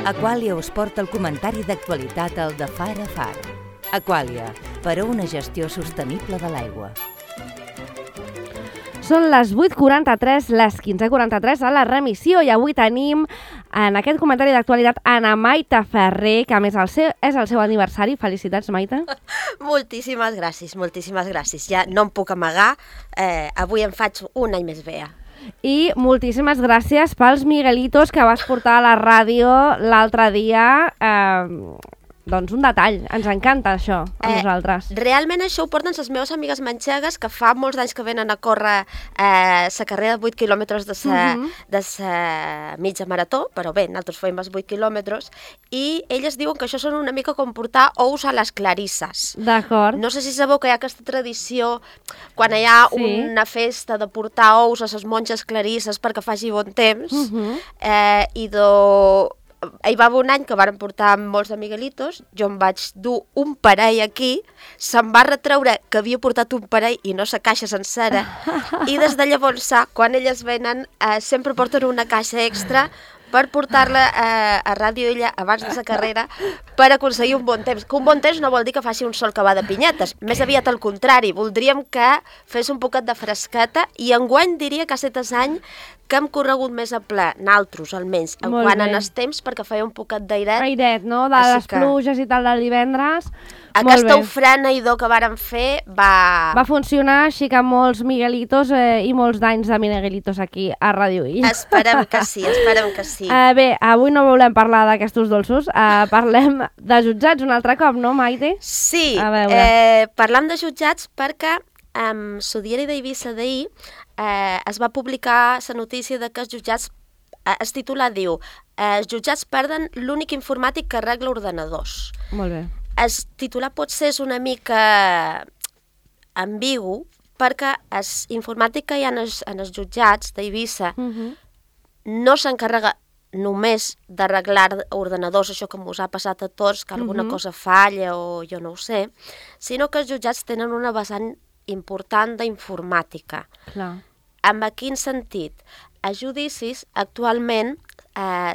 Aquàlia us porta el comentari d'actualitat al de Far a Far. Aquàlia, per a una gestió sostenible de l'aigua. Són les 8:43, les 15:43 a la remissió i avui tenim en aquest comentari d'actualitat Ana Maite Ferrer, que a més és el seu aniversari. Felicitats, Maite. Moltíssimes gràcies. Ja no em puc amagar, avui em faig un any més vella. I moltíssimes gràcies pels Miguelitos que vas portar a la ràdio l'altre dia. Doncs un detall, ens encanta això a nosaltres. Realment això ho porten les meves amigues manxegues que fa molts anys que venen a córrer la carrera de 8 quilòmetres de la mitja marató, però bé, nosaltres fem els 8 quilòmetres, i elles diuen que això són una mica com portar ous a les clarisses. D'acord. No sé si sabeu que hi ha aquesta tradició, quan hi ha una festa de portar ous a les monges clarisses perquè faci bon temps, hi va haver un any que varen portar molts de Miguelitos, jo em vaig dur un parell aquí, se'm va retreure que havia portat un parell i no la caixa sencera, i des de llavors, quan elles venen, sempre porten una caixa extra per portar-la a Ràdio Illa abans de la carrera per aconseguir un bon temps. Que un bon temps no vol dir que faci un sol que va de pinyetes, més aviat al contrari, voldríem que fes un poquet de fresqueta, i enguany diria que ha estat any que hem corregut més a ple, naltros almenys, quan en els temps, perquè feia un poquet d'airet. Airet, no? De les pluges i tal del divendres. Aquesta ofreneïdor que vàrem fer va funcionar, així que molts Miguelitos i molts d'anys de Miguelitos aquí a Ràdio Illa. Esperem que sí. Bé, avui no volem parlar d'aquestos dolços, parlem de jutjats un altre cop, no, Maite? Sí, parlem de jutjats perquè amb el diari d'Eivissa d'ahir es va publicar la notícia de que els jutjats, el titular diu, els jutjats perden l'únic informàtic que arregla ordenadors. Molt bé. El titular potser és una mica ambigu, perquè el informàtic que hi ha en els jutjats d'Eivissa no s'encarrega només d'arreglar ordenadors, això que us ha passat a tots, que alguna cosa falla o jo no ho sé, sinó que els jutjats tenen una vessant important d'informàtica. Clar. En quin sentit? Els judicis actualment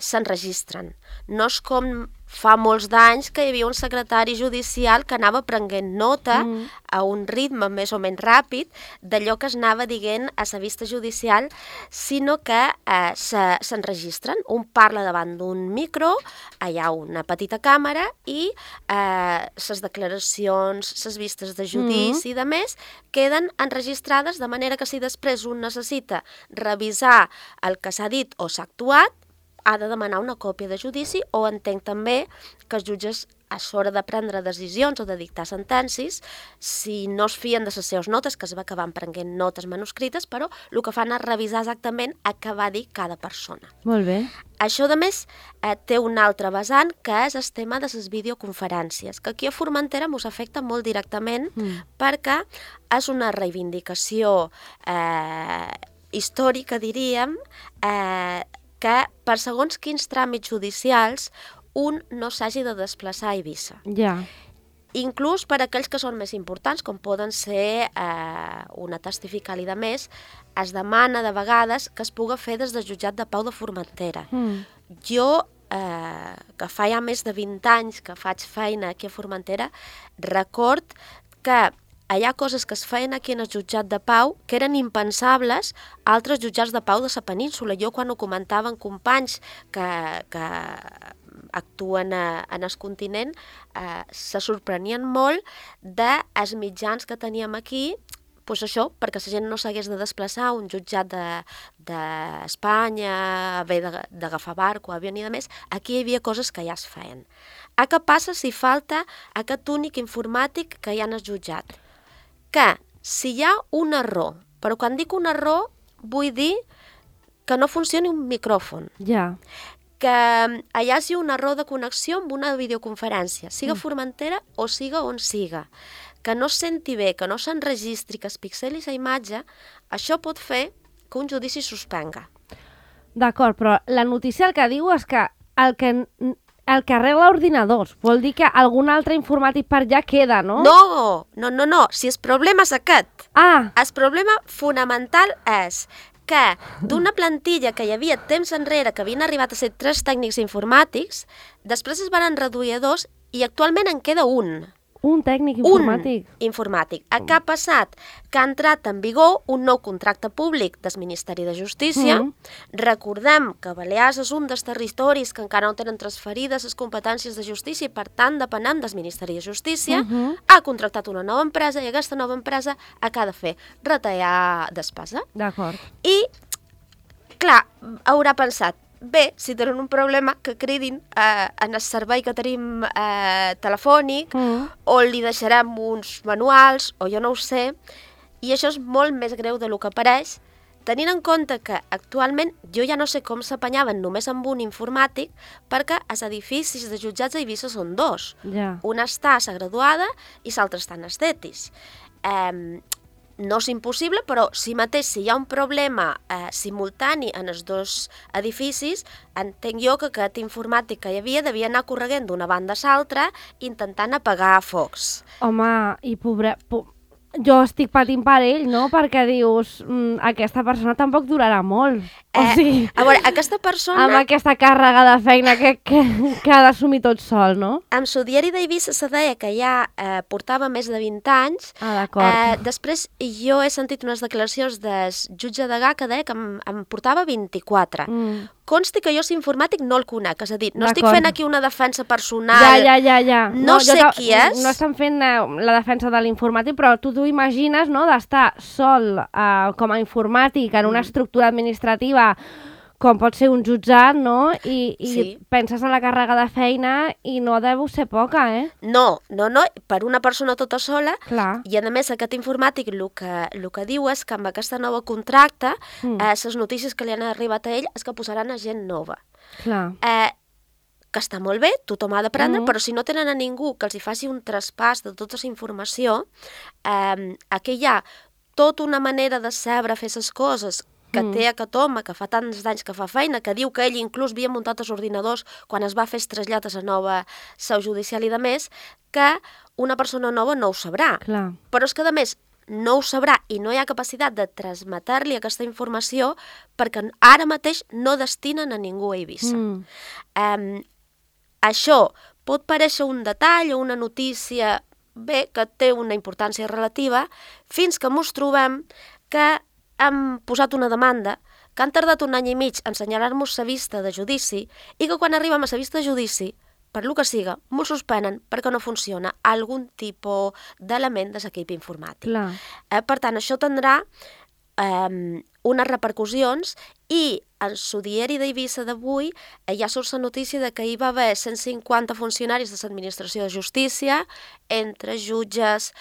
s'enregistren. No és com fa molts d'anys que hi havia un secretari judicial que anava prenent nota a un ritme més o menys ràpid d'allò que es anava dient a la vista judicial, sinó que s'enregistren. Un parla davant d'un micro, hi ha una petita càmera i les declaracions, les vistes de judici i de més queden enregistrades, de manera que si després un necessita revisar el que s'ha dit o s'ha actuat, ha de demanar una còpia de judici, o entenc també que els jutges a l'hora de prendre decisions o de dictar sentències, si no es fien de les seves notes, que es va acabar prenent notes manuscrites, però el que fan és revisar exactament el que va dir cada persona. Molt bé. Això, a més, té un altre vessant, que és el tema de les videoconferències, que aquí a Formentera ens afecta molt directament perquè és una reivindicació històrica, diríem, que per segons quins tràmits judicials un no s'hagi de desplaçar a Eivissa. Ja. Inclús per aquells que són més importants, com poden ser una testifical i de més, es demana de vegades que es puga fer des del jutjat de pau de Formentera. Jo, que fa ja més de 20 anys que faig feina aquí a Formentera, record que hi ha coses que es feien aquí en el jutjat de pau que eren impensables a altres jutjats de pau de la península. Jo, quan ho comentaven companys que actuen en el continent, se sorprenien molt dels mitjans que teníem aquí, doncs això, perquè la gent no s'hagués de desplaçar a un jutjat d'Espanya, haver d'agafar barco, avió i de més. Aquí hi havia coses que ja es feien. Què passa si falta aquest únic informàtic que hi ha en el jutjat? Que si hi ha un error, però quan dic un error vull dir que no funcioni un micròfon, que hi hagi un error de connexió amb una videoconferència, siga Formentera o siga on siga, que no es senti bé, que no s'enregistri, que es pixeli la imatge, això pot fer que un judici suspenga. D'acord, però la notícia el que diu és que el que arregla ordinadors. Vol dir que algun altre informàtic per allà queda, no? No. Si el problema és aquest. El problema fonamental és que d'una plantilla que hi havia temps enrere, que havien arribat a ser 3 tècnics informàtics, després es van reduir a 2 i actualment en queda un. Un tècnic informàtic. Un informàtic. Què ha passat? Que ha entrat en vigor un nou contracte públic del Ministeri de Justícia. Recordem que Balears és un dels territoris que encara no tenen transferides les competències de justícia i, per tant, depenem del Ministeri de Justícia. Ha contractat una nova empresa i aquesta nova empresa què ha de fer? Retallar despesa. D'acord. I, clar, haurà pensat, bé, si tenen un problema, que cridin en el servei que tenim telefònic, o li deixarem uns manuals, o jo no ho sé, i això és molt més greu del que pareix, tenint en compte que actualment jo ja no sé com s'apanyaven només amb un informàtic, perquè els edificis de jutjats a Eivissa són 2. Ja. Una està a la graduada i l'altra està en estetis. No és impossible, però si mateix si hi ha un problema simultani en els 2 edificis, entenc jo que aquest informàtic que hi havia devia anar correguent d'una banda a l'altra intentant apagar focs. Home, i jo estic patint per ell, no? Perquè dius, aquesta persona tampoc durarà molt. O sigui, a veure, aquesta persona... Amb aquesta càrrega de feina que ha d'assumir tot sol, no? Amb el diari d'Eivissa se deia que ja portava més de 20 anys. D'acord. Després jo he sentit unes declaracions del jutge Degà que deia que em portava 24. Consti que jo l'informàtic no el conec, és a dir, no estic fent aquí una defensa personal. Ja. No sé qui és. No estem fent la defensa de l'informàtic, però tu t'ho imagines, no?, d'estar sol com a informàtic en una estructura administrativa com pot ser un jutjat, no? I penses en la càrrega de feina i no deu ser poca, eh? No, per una persona tota sola. Clar. I a més aquest informàtic el que diu és que amb aquesta nova contracte les notícies que li han arribat a ell és que posaran a gent nova. Clar. Que està molt bé, tothom ha d'aprendre, però si no tenen a ningú que els hi faci un traspàs de tota la informació, aquí hi ha tota una manera de saber fer les coses que té aquest home, que fa tants d'anys que fa feina, que diu que ell inclús havia muntat els ordinadors quan es va fer el trasllat a la nova seu judicial i de més, que una persona nova no ho sabrà. Clar. Però és que, a més, no ho sabrà i no hi ha capacitat de transmetre-li aquesta informació perquè ara mateix no destinen a ningú a Eivissa. Això pot parèixer un detall o una notícia bé, que té una importància relativa, fins que mos trobem que hem posat una demanda, que han tardat 1 any i mig en assenyalar-nos la vista de judici i que quan arribem a la vista de judici, per lo que siga, m'ho suspenen perquè no funciona algun tipus d'element de l'equip informàtic. Clar. Per tant, això tindrà unes repercussions i en el diari d'Eivissa d'avui ja surt la notícia de que hi va haver 150 funcionaris de l'administració de justícia, entre jutges,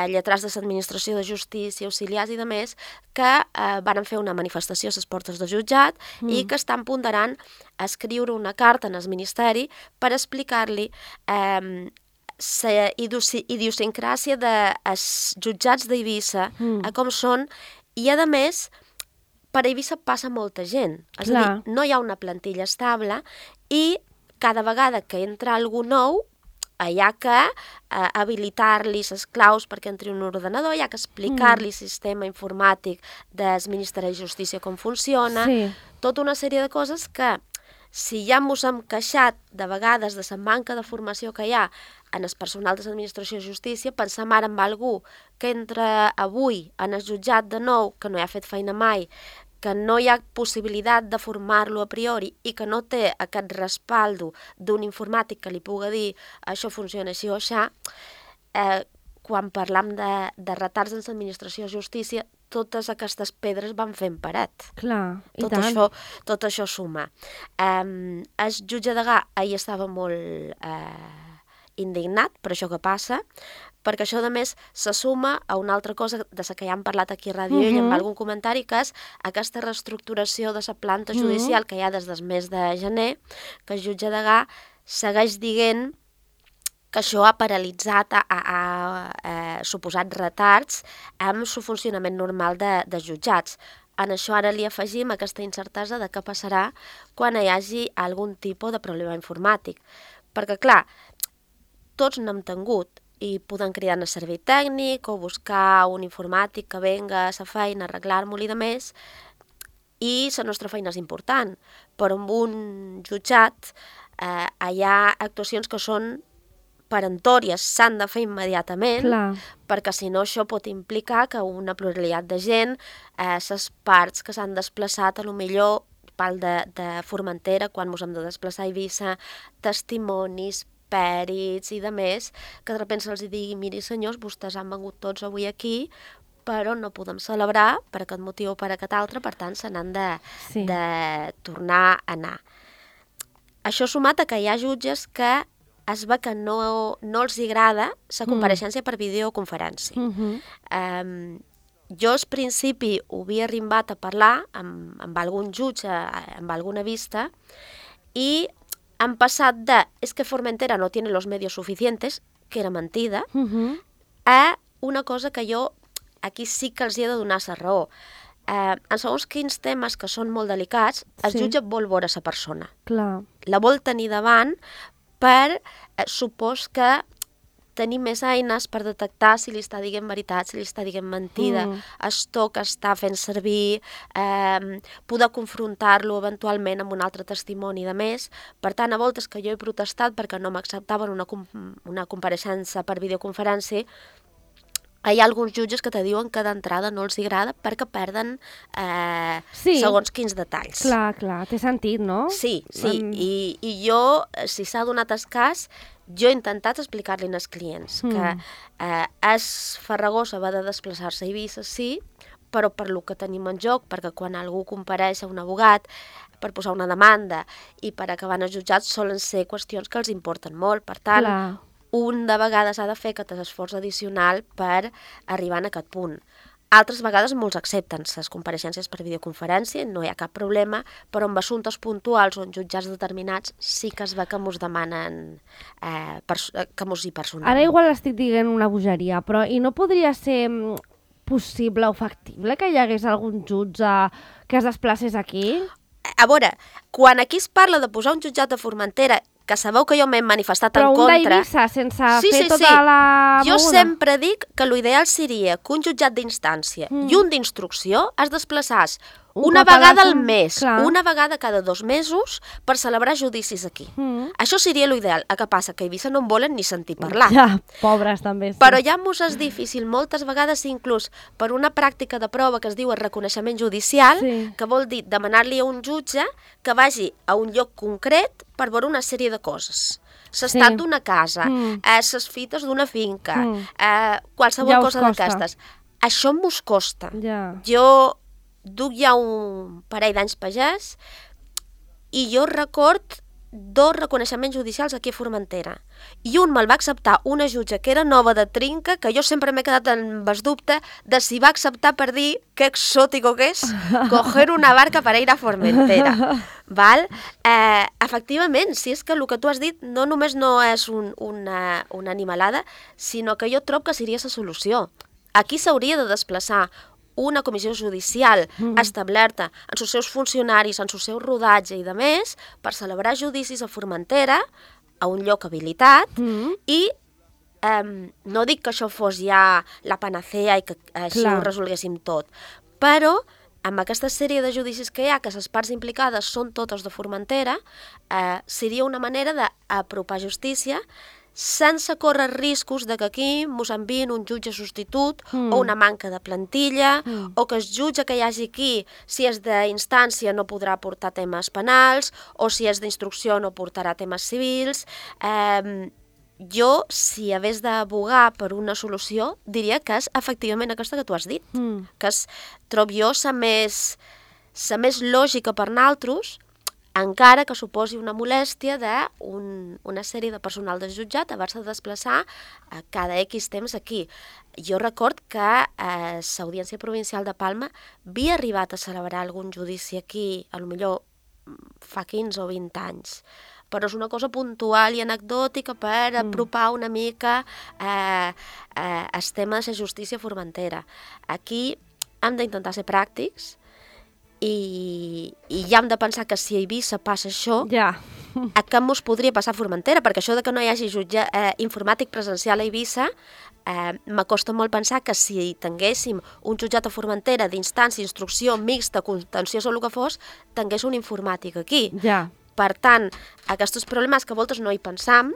lletrats de l'administració de justícia, auxiliars i demés, que van fer una manifestació a les portes del jutjat i que estan ponderant escriure una carta en el Ministeri per explicar-li la idiosincràsia dels jutjats d'Eivissa, com són, i a més, per Eivissa passa molta gent. És a dir, no hi ha una plantilla estable i cada vegada que entra algú nou hi ha que habilitar-li les claus perquè entri un ordenador, hi ha que explicar-li el sistema informàtic del Ministeri de Justícia com funciona, tota una sèrie de coses que, si ja ens hem queixat de vegades de la manca de formació que hi ha en el personal de l'administració de justícia, pensem ara en algú que entra avui en el jutjat de nou, que no hi ha fet feina mai, que no hi ha possibilitat de formar-lo a priori i que no té aquest respaldo d'un informàtic que li pugui dir això funciona així o aixà, quan parlam de retards en l'administració de justícia, totes aquestes pedres van fent paret. Clar, i tant. Tot això suma. El jutge Degà ahir estava molt indignat per això que passa, perquè això, a més, se suma a una altra cosa de la que ja hem parlat aquí a Ràdio Ell amb algun comentari, que és aquesta reestructuració de la planta judicial que hi ha des del mes de gener, que el jutge Degà segueix dient que això ha paralitzat, ha suposat retards amb el funcionament normal de jutjats. En això ara li afegim aquesta incertesa de què passarà quan hi hagi algun tipus de problema informàtic. Perquè, clar, tots n'hem tingut i podem cridar al servei tècnic o buscar un informàtic que venga a la feina, arreglar-m'ho i de més, i la nostra feina és important, però en un jutjat hi ha actuacions que són peremptòries, s'han de fer immediatament, perquè si no això pot implicar que una pluralitat de gent, les parts que s'han desplaçat, a lo millor parl de Formentera, quan ens hem de desplaçar a Eivissa, testimonis, pèrits i de més, que de sobte se'ls digui, miri senyors, vostès han vengut tots avui aquí, però no podem celebrar per aquest motiu o per aquest altre, per tant se n'han de tornar a anar. Això sumat a que hi ha jutges que es ve que no els agrada la compareixença per videoconferència. Jo al principi ho havia arribat a parlar amb algun jutge, amb alguna vista, i han passat de és que Formentera no tiene los medios suficientes, que era mentida, a una cosa que jo aquí sí que els he de donar la raó. En segons quins temes que són molt delicats, el jutge vol veure la persona. La vol tenir davant per, supos que tenir més eines per detectar si li està dient veritat, si li està dient mentida, el to que està fent servir, poder confrontar-lo eventualment amb un altre testimoni de més. Per tant, a voltes que jo he protestat perquè no m'acceptaven una compareixença per videoconferència, hi ha alguns jutges que te diuen que d'entrada no els agrada perquè perden segons quins detalls. Clar, té sentit, no? Sí, i jo, si s'ha donat el cas, jo he intentat explicar-li als clients que és farragós haver de desplaçar-se a Eivissa, sí, però per lo que tenim en joc, perquè quan algú compareix a un abogat per posar una demanda i per acabar en els jutjats solen ser qüestions que els importen molt, per tant, un de vegades ha de fer aquest esforç addicional per arribar a aquest punt. Altres vegades molts accepten les compareixences per videoconferència, no hi ha cap problema, però en assumptes puntuals o en jutjats determinats sí que es ve que mos demanen que mos hi personal. Ara igual estic dient una bogeria, però i no podria ser possible o factible que hi hagués algun jutge que es desplacés aquí? A veure, quan aquí es parla de posar un jutjat a Formentera, que sabeu que jo m'he manifestat en contra... Però un d'Eivissa, sense fer tota la... Jo sempre dic que l'ideal seria que un jutjat d'instància i un d'instrucció es desplaçés una vegada al mes, una vegada cada 2 mesos, per celebrar judicis aquí. Això seria l'ideal. El que passa que a Eivissa no en volen ni sentir parlar. Ja, pobres també. Però ja mos és difícil, moltes vegades inclús per una pràctica de prova que es diu el reconeixement judicial, que vol dir demanar-li a un jutge que vagi a un lloc concret per veure una sèrie de coses. L'estat d'una casa, les fites d'una finca, qualsevol cosa d'aquestes. Això mos costa. Jo duc ja un parell d'anys pagès i jo record 2 reconeixements judicials aquí a Formentera. I un me'l va acceptar una jutge que era nova de trinca, que jo sempre m'he quedat amb el dubte de si va acceptar per dir que exòtico que és coger una barca per ir a Formentera. Val? Efectivament, si és que el que tu has dit no només no és una animalada, sinó que jo trobo que seria la solució. Aquí s'hauria de desplaçar una comissió judicial establerta en els seus funcionaris, en el seu rodatge i de més, per celebrar judicis a Formentera, a un lloc habilitat, i no dic que això fos ja la panacea i que així ho resolguéssim tot, però amb aquesta sèrie de judicis que hi ha, que les parts implicades són totes de Formentera, seria una manera d'apropar justícia sense córrer riscos de que aquí mos envien un jutge substitut o una manca de plantilla o que el jutge que hi hagi aquí, si és d'instància, no podrà portar temes penals o si és d'instrucció no portarà temes civils. Jo, si hagués d'abogar per una solució, diria que és efectivament aquesta que tu has dit, que és, trobo jo, la més lògica per naltros, encara que suposi una molèstia d'una sèrie de personal del jutjat haver-se de desplaçar cada X temps aquí. Jo record que l'Audiència Provincial de Palma havia arribat a celebrar algun judici aquí, potser fa 15 o 20 anys, però és una cosa puntual i anecdòtica per apropar una mica el tema de la justícia formentera. Aquí hem d'intentar ser pràctics i ja hem de pensar que si a Eivissa passa això, a què mos podria passar a Formentera, perquè això de que no hi hagi jutge informàtic presencial a Eivissa, m'acosta molt pensar que si tinguéssim un jutjat a Formentera d'instància, instrucció, mixta, contenciós o el que fos, tingués un informàtic aquí. Ja. Per tant, aquests problemes que a voltes no hi pensam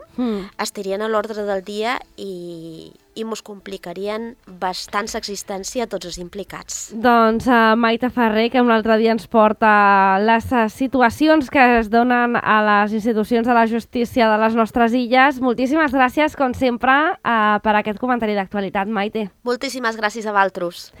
estarien a l'ordre del dia i mos complicarien bastant l'existència a tots els implicats. Doncs Maite Ferrer, que un altre dia ens porta les situacions que es donen a les institucions de la justícia de les nostres illes. Moltíssimes gràcies, com sempre, per aquest comentari d'actualitat, Maite. Moltíssimes gràcies a vosaltres.